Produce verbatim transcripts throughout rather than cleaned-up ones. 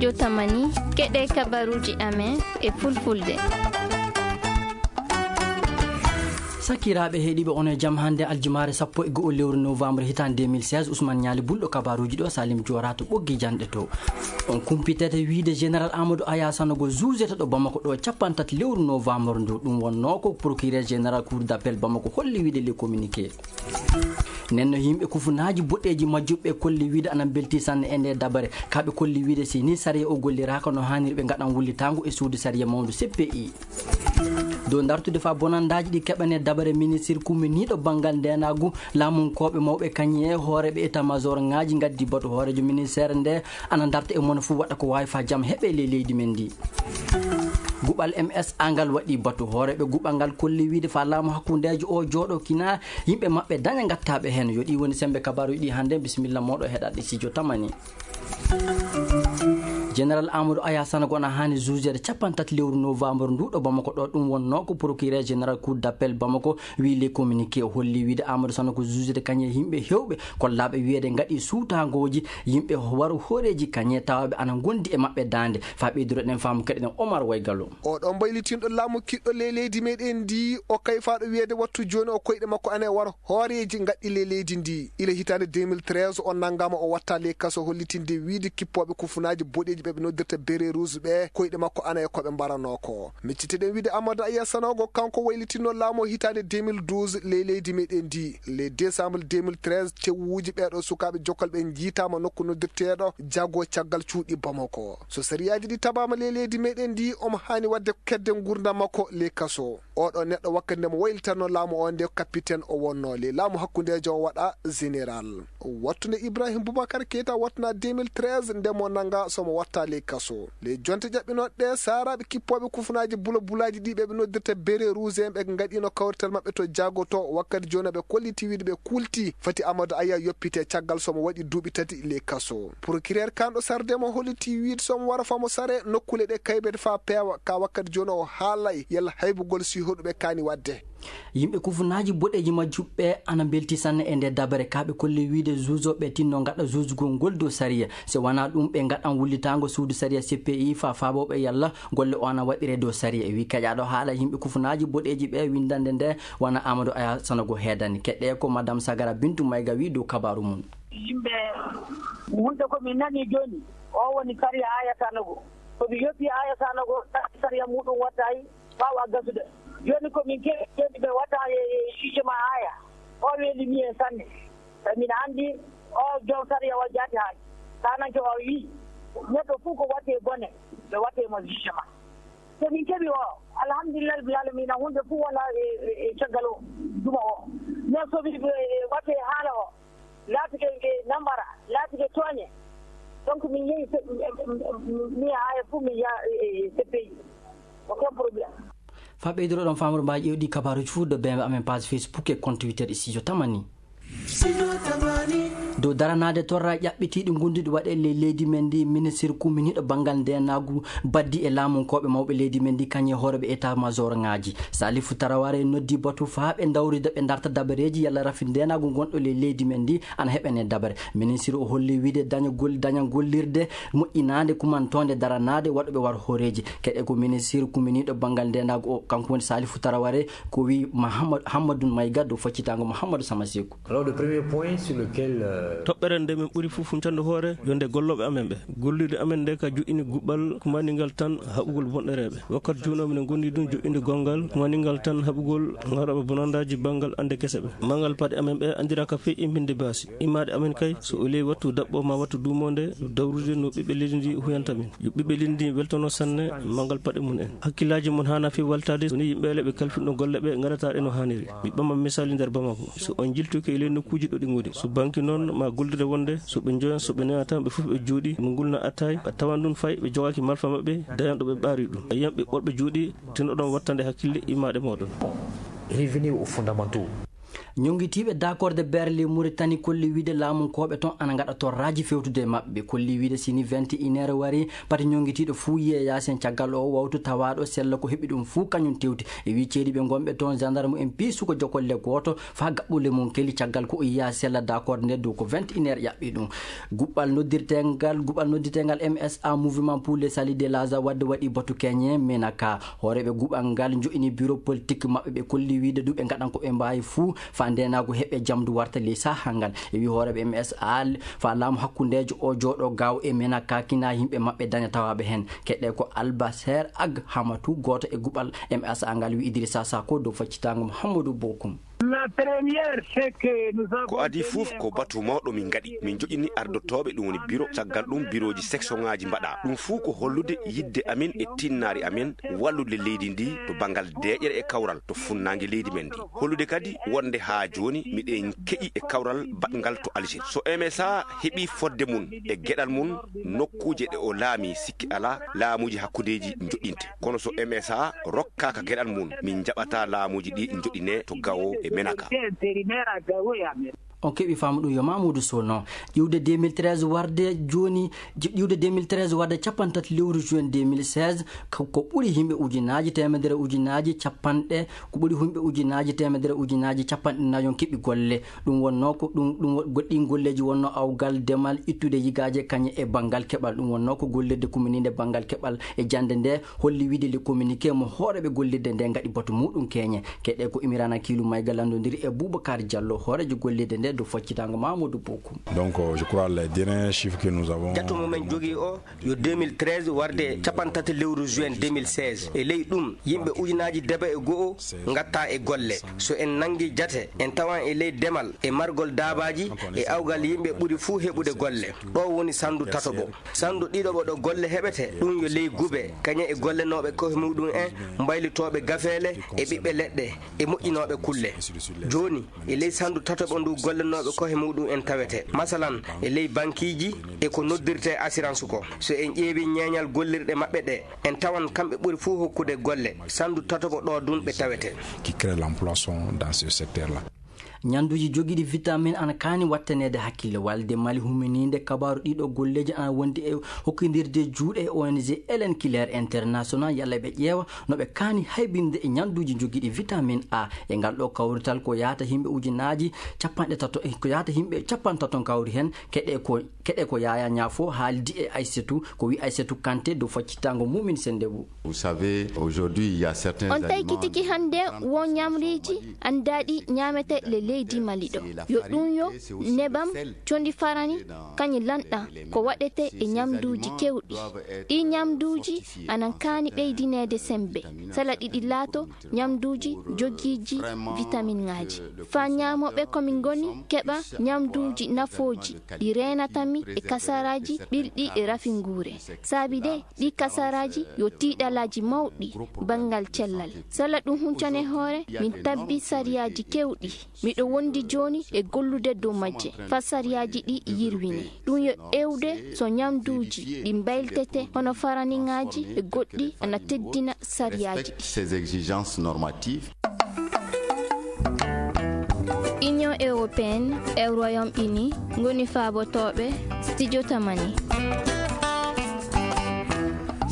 Yo tamani, keɗe kabaruuji amen e fulfulde. Sakiraaɓe heɗiiɓe, on e jam. Hannde aljumaare sappo e go'o lewru novembre hitaande deux mille seize, Ousmane Ñaali Bulɗo kabaruuji ɗo, Salim Joora to ɓoggi janɗe to. On kumpitete wiide Général Amadou Aya Sanogo juugete ɗo Bamako ɗo capanɗe tati lewru novembre ndu. Ɗum wonnoo ko procureur général cour d'appel Bamako holli wiide le communiqué. Nden no yimɓe kufunaaji boɗeeji majjuɓe kolli wiide ana mbelti sanne e nde dabare. Ka ɓe kolli wiide si ni sariya o golliraaka no haaniri ɓe ngaɗan wullitaango e suudu sariya mawndu C P I. Dow dartude faa bonandaaji ɗi keɓane dabare, ministir kuminiiɗo banngal ndeenaagu, laamunkooɓe mawɓe kañum e hooreeɓe état-major ŋaaji ngaddi batu hooreejo ministeer nde ana darta e mon fuu waɗa ko waawi faa jam heɓe ley leydi men ndi. Guɓal M S A ngal waɗi batu hooreeɓe guɓal ngal kolli wiide faa laamu hakkundeejo o jooɗo kina yimɓe maɓɓe daña ngattaaɓe heen. Yo ɗi woni sembe kabaaruuji ɗi hannde. Bisimilla mooɗo heɗaɗe studio tamani. Général Amadou Aya Sanogo ana haani juugede capanɗe tati lewru novembre ndu ɗo Bamako ɗo. Ɗum wonnoo ko procureur général cour d'appel Bamako wii le communiqué. O holli wiide Amadou Sanogo juugede kañum e yimɓe heewɓe kollaaɓe wiyeede ngaɗi suutangooji yimɓe waru hooreeji kañum e tawaaɓe ana ngondi e maɓɓe daande. Faa ɓeydude ɗen faamu keɗen Omar Waygalo. Oɗo mbaylitinɗo laamu kiɗɗo ley leydi meɗen ndi, o kayfaaɗo wiyeede wattu jooni o koyɗe makko ana e waro hooreeji ngaɗɗi ley leydi ndi. Ila hitaande deux mille treize o nanngaama o watta ley kaso hollitinde wiide kippooɓe kufunaaji boɗeeji ɓe ɓe noddirta beret rouge ɓe koyɗe makko ana e ko ɓe mbaranoo ko. Micciteɗen wiide Amadou Aya Sanogo kanko waylitinno laamu o hitaande deux mille douze ley leydi meɗen ndi. Le décembre deux mille treize tewuuji ɓeeɗo sukaaɓe jokkal ɓe njiitaama nokku noddirteeɗo Jago caggal cuuɗi Bamako. So sariyaaji ɗi tabaama ley leydi meɗen ndi omo haani waɗde kedde ngurndan makko ley kaso. Oɗo neɗɗo wakkati nde mo waylitanno laamu o nde capitaine o wonno, ley laamu hakkundeejo o waɗa général. Wattu nde Ibrahim Boubacar Keita wattana deux mille treize nde mo nannga so mo watta ley kaso. Ley jonte ƴaɓɓinooɗe ɗe, saaraaɓe kippooɓe kufunaaji bula bulaaji ɗi ɓe ɓe noddirta beret rouge en ɓe ngaɗino kawrital maɓɓe to Jago to wakkati jooni ɓe kolliti wiide ɓe kulti fati Amadou Aya yoppite caggal so mo waɗi duuɓi tati ley kaso. Procureur kanɗo sarde mo holliti wiide so mo wara faa mo sare nokkuule ɗe kaybete faa peewa ka wakkati jooni o haalay yalla haybugol si hoɗuɓe kaani waɗde. Yimɓe kufunaaji boɗeeji majjuɓe ana mbelti sanne e nde dabare ka ɓe kolli wiide juujoɓe tinno ngaɗa juujugol ngol dow sariya. Si wanaa ɗum ɓe ngaɗan wullitaango suudu sariya C P I faa faabooɓe yalla golle o ana waɗire dow sariya. E wi keƴaaɗo haala yimɓe kufunaaji boɗeeji ɓe winndande nde wona Amadou Aya Sanogo heedani. Keɗe ko Madame Sagara Bintu Mayga wi dow kabaaru mum. Yimɓe wulde ko min nani jooni, o woni sariya Aya Sanogo. Ko mi yoppi Aya Sanogo, sariya muɗum wattayi ɓaawo a gasude. Jooni ko min keɓi jooni ɓe watta e, e jugement Aya. O weeli mi en sanne. Sabi min anndi o joom sariya o jaati haali. Kananke o wi, neɗɗo fof ko watte bone, ɓe watte mo jugement. So min keɓi o, alhamdulillah rabbil alamina, hunde fof wona e, e, e caggal o, duma o. Mais so wi, e, e watte haala o, laatike e nambara, laatike tooñe. Donc min yehi se-, mi, mi, mi, mi haa e fof mi yaha e, e, e C P I. Aucun problème. Faa ɓeyduɗo ɗon faamrude mbaaji ƴeewɗi kabaaruuji fof ɗo bembe amen page Facebook e compte Twitter e studio tamani. Dow daranaade torra ƴaɓɓitiiɗi ngonduɗi waɗe ley leydi men ndi, ministir kuminiiɗo banngal ndeenaagu baddi e laamunkooɓe mawɓe leydi men ndi, kañum e hooreeɓe état-major ŋaaji. Salifu Taraware noddi batu faa ɓe ndawrida ɓe ndarta dabareeji yalla rafi ndeenaagu ngonɗo ley leydi men ndi ana heɓene dabare. Ministir o holli wiide dañagol, daña gollirde moƴƴinaande kumantoonde daranaade waɗuɓe war hooreeji. Keɗe ko ministir kuminiiɗo banngal ndeenaagu o, kanko woni Salifu Taraware, ko wi Mahamad-, Hammadou Mayga dow faccitaango Mahamadou Samaseku. Alors, le premier point sur lequel, euh, Toɓɓere nde min ɓuri fof huncande hoore, yo nde gollooɓe amen ɓe. Gollirde amen nde ka joƴƴini guɓɓal kumaningal tan haɓugol bonɗereeɓe. Wakkati jooni o minen ngondi ɗum joƴƴinde gonngal kumaningal tan haɓugol ŋarooɓe bonandaaji banngal annde gese ɓe. Manngal paɗe amen ɓe anndiraaka fii imbinde baasi. Immaaɗe amen kay, so o ley wattu daɓɓo ma wattu duumoonde, dawrude no ɓiɓɓe leydi ndi huyanta min. Yo ɓiɓɓe leydi ndi weltono sanne manngal paɗe mum en. Hakkillaaji mum haana fii weltaade so ni yimɓe le ɓe kalfinɗo golle ɓe ngaɗataa ɗe no haaniri. Mi ɓama misaali nder Bamako. So on njiltoki e ley nokkuuji ɗo ɗi ngoni, so banki noon ma gollirde wonde, so ɓe njoyan, so ɓe newata, ɓe fof ɓe jooɗi, ɓe ngulna attaay, a tawan ɗum fay ɓe jogaaki malfa maɓɓe, dañan ɗo ɓe ɓaari ɗum. A yiyan ɓe ɓorɓe jooɗi, tino ɗon wattande hakkille immaaɗe mooɗon. Revenir aux fondamentaux. Ñonngitiiɓe daakorde Berlin Muritani kolli wiyde laamunkooɓe toon ana ngaɗa torraaji fewtude e maɓɓe. Ɓe kolli wiyde, si ni vingt et une heures warii, pati ñonngitiiɗo fuu yiyee yaasin caggal oo wawtu tawaaɗo sella ko heɓi ɗum fuu kañum tewti. E wii ceediiɓe ngonɓe toon, gendarme en pii suka jokolle gooto faa gaɓɓule mum keli caggal ko o yiyaa sella daakorde nde dow ko vingt et une heures ƴaɓɓi ɗum. Guɓɓal noddirteengal, guɓɓal noddirteengal M S A, Mouvement pour le Salut de Gaza, wadde waɗi batu keñe Menaka. Hooreeɓe guɓɓal ngal njo'ini bureau politique maɓɓe, ɓe kolli wiyde du ɓe ngaɗan ko ɓe mbaawi fuu faa ndeenaagu heɓe jamdu warta ley sahaa ngal. E wii hooreeɓe M S A faa laamu hakkundeejo o jooɗo gaaw e Menaka kina yimɓe maɓɓe daña tawaaɓe heen. Keɗe ko Albaser Ag Hamatu, gooto e guɓɓal M S A ngal, wii Idrissa Sako dow faccitaango Mouhamadou Bokoum. La première, c'est que nous avons Ko adii fof ko batu mawɗo min ngaɗi. Min njoƴini ardotooɓe, ɗum woni biro, caggal ɗum birooji sectionŋaaji mbaɗaa. Ɗum fuu ko hollude yiɗde amin e tinnaari amin wallude leydi ndi to banngal deeƴere e kawral to funnaange leydi men ndi. Hollude kadi wonde haa jooni miɗen keƴi e kawral baɗngal to Algérie. So M S A heɓii fodde mum e geɗal mum, nokkuuje ɗe o laami, sikki alaa, laamuuji hakkundeeji njoɗɗinte. Kono so M S A rokkaaka geɗal mum, min njaɓataa laamuuji ɗi njoɗɗinee to Gao e Menaka. On keɓi faamu ɗum yo Mamoudou Sono. Iwde deux mille treize warde jooni, iwde deux mille treize warde cappanɗe tati lewru juin deux mille seize, ko, ko ɓuri yimɓe ujunaaji teemedere ujunaaji capanɗe, ko ɓuri yimɓe ujunaaji teemedere ujunaaji capanɗe nayon keɓi golle. Ɗum wonnoo ko ɗum, ɗum wo-, goɗɗin golleeji wonnoo awgal, demal, ittude yigaaje kañe e banngal keɓal. Ɗum wonnoo ko gollirde kumininde banngal keɓal e jannde nde holli wiyde le communiqué mo hooreeɓe gollirde nde ngaɗi batu muɗum keñe. Keɗe ko Imirana Kiilu Mayga lanndondiri e Boubacar Diallo, hooreejo gollirde nde dow faccitaango Mamadou Bokoum. Donc, euh, je crois les derniers chiffres que nous avons Jatu mo men jogii o yo deux mille treize warde cappanɗe tati lewru juin deux mille seize. E ley ɗum, yimɓe ujunaaji debe e go'o ngatta e golle. So en nanngi jate, en tawan e ley demal e margol daabaaji e awgal yimɓe ɓuri fuu heɓude golle. Ɗo woni sandu tatoɓo. Sandu ɗiɗoɓo ɗo golle heɓete, ɗum yo ley gube, kañe e gollenooɓe kohe muɗum en, mbaylitooɓe gafeele e ɓiɓɓe leɗɗe e moƴƴinooɓe kulle. Jooni, e ley sandu tatoɓo ndu gollenooɓe kohe muɗum en tawete. Masalan, e ley bankiiji e ko noddirte assurance ko. So en ƴeewi ñeeñal gollirɗe maɓɓe ɗe, en tawan kamɓe ɓuri fuu hokkude golle. Sandu tatoɓo ɗo dun ɓe tawete. Qui crée l'emploi sont dans ce secteur-là. Ñannduuji jogiiɗi vitamine ana kaani wattaneede hakkille. Walde Mali huminiinde kabaaru ɗiɗo golleeji ana wondi e hokkindirde juuɗe e O N G Hélène Keller International, yalla ɓe ƴeewa no ɓe kaani haybinde e ñannduuji jogiiɗi vitamine A. E ngal ɗo kawrital ko yaata yimɓe ujunaaji capanɗe tato, ko yaata yimɓe capanɗe tato kawri heen. Keɗe ko, keɗe ko Yaya Ñaafo haaldi e Aysatu, ko wi Aysatu Kante dow faccitaango Mumin Sendebu. Vous savez, aujourd'hui, il y a certains On tawi aliments kitiki hannde wo ñamriiji anndaaɗi ñaamete le leydi Mali ɗo. Yo ɗum yo nebam, condi farani, kañi lanɗa ko waɗete e ñamduuji kewɗi. Ɗi ñamduuji anan kaani ɓeydineede sembe. Sala ɗiɗi laato ñamduuji jogiiji vitaminŋaaji. Faa ñaamooɓe ko min ngoni keɓa ñamduuji nafooji ɗi reenata mi e kasaraaji ɓilɗi e rafinguure. Saabi de, ɗi kasaraaji yo tiiɗalaaji mawɗi banngal cellal. Sala ɗum huncane hoore, min tabbi sariyaaji kewɗi. Miɗo wondi jooni e gollude dow majje, faa sariyaaji ɗi yirwine. Ɗum yo ewde so ñamduuji ɗi mbayltete hono faraniŋaaji e goɗɗi ana teddina sariyaaji ɗi. Ces exigences normatives. Union européenne e Royaume-Uni ngoni faabotooɓe studio Tamani.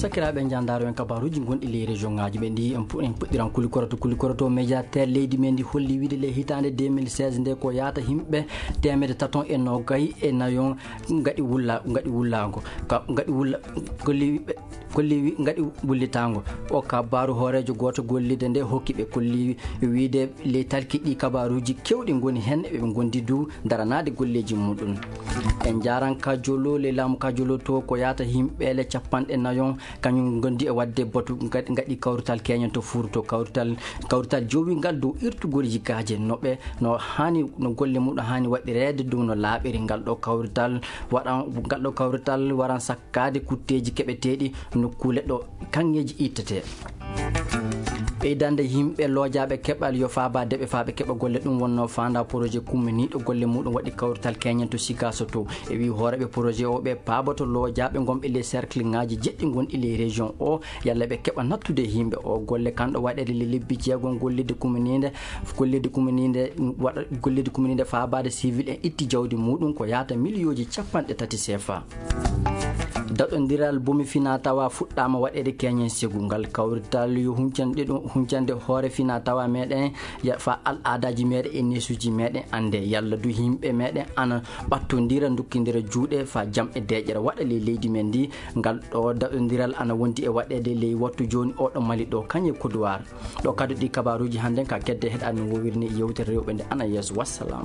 Sakiraaɓe, njandaaro en kabaaruuji gonɗi ley région ŋaaji ɓe ndi, en pu-, en puɗɗiran Kulikoroto. Kulikoroto, médiateur leydi men ndi holli wiide ley hitaande deux mille seize nde ko yaata yimɓe teemedde taton e noogay e nayon ngaɗi wulla-, ngaɗi wullaango. Ka, ngaɗi wulla-, golli ɓe, golli wi-, ngaɗi wullitaango. O kabaaru hooreejo gooto gollirde nde hokki ɓe kolli wiide ley talki ɗi kabaaruuji kewɗi ngoni heen, eɓe ngondi du daranaade golleeji muɗum. En njaaran ka Jolo, ley laamu ka Jolo to ko yaata yimɓe le capanɗe nayon, kañum ngondi e waɗde batu ngaɗi, ngaɗi kawrital keñen to Fuuta to kawrital, kawrital jowingal dow irtugol yigaaje no ɓe, no haani, no golle muɗum haani waɗireede dow no laaɓiri. Ngal ɗo kawrital waɗan, ngal ɗo kawrital waran sakkaade kutteeji keɓeteeɗi nokkuule ɗo kaŋŋeeji ittetee. Ɓeydande yimɓe loojaaɓe keɓal yo faabaa deɓe faa ɓe keɓa golle, ɗum wonnoo faandaa projet kumminiiɗo golle muuɗum waɗi kawrital keñen to Sikaaso to. E wii hooreeɓe projet o ɓe paaboto loojaaɓe ngonɓe ley cercle ŋaaji jeɗɗi ngonɗi ley région o, yalla ɓe keɓa nattude e yimɓe o golle. Kanɗo waɗeede le lebbi jeegom gollidde kumminiinde, gollidde kumminiinde waɗa, gollidde kumminiinde faabaade civil en itti jawdi muuɗum ko yaata miliyooji capanɗe tati sefa. Daɗondiral bomi fina tawa fuɗɗaama waɗeede keñen segu. Ngal kawrital yo huncande ɗum, huncande hoore fina tawa meɗen, ya, fa al aadaji meɗen e neesuji meɗen annde, yalla du yimɓe meɗen ana ɓattondira, ndukkindira juuɗe fa jam e deeƴere waɗa ley leydi men ndi. Ngal ɗo daɗondiral ana wondi e waɗeede ley wattu jooni oɗo Mali ɗo, kañe Kodowar. Ɗo kadi ɗi kabaruuji hannden ka kedde heɗaani wowirni yewtere rewɓe nde ana yeeso. Wassalam.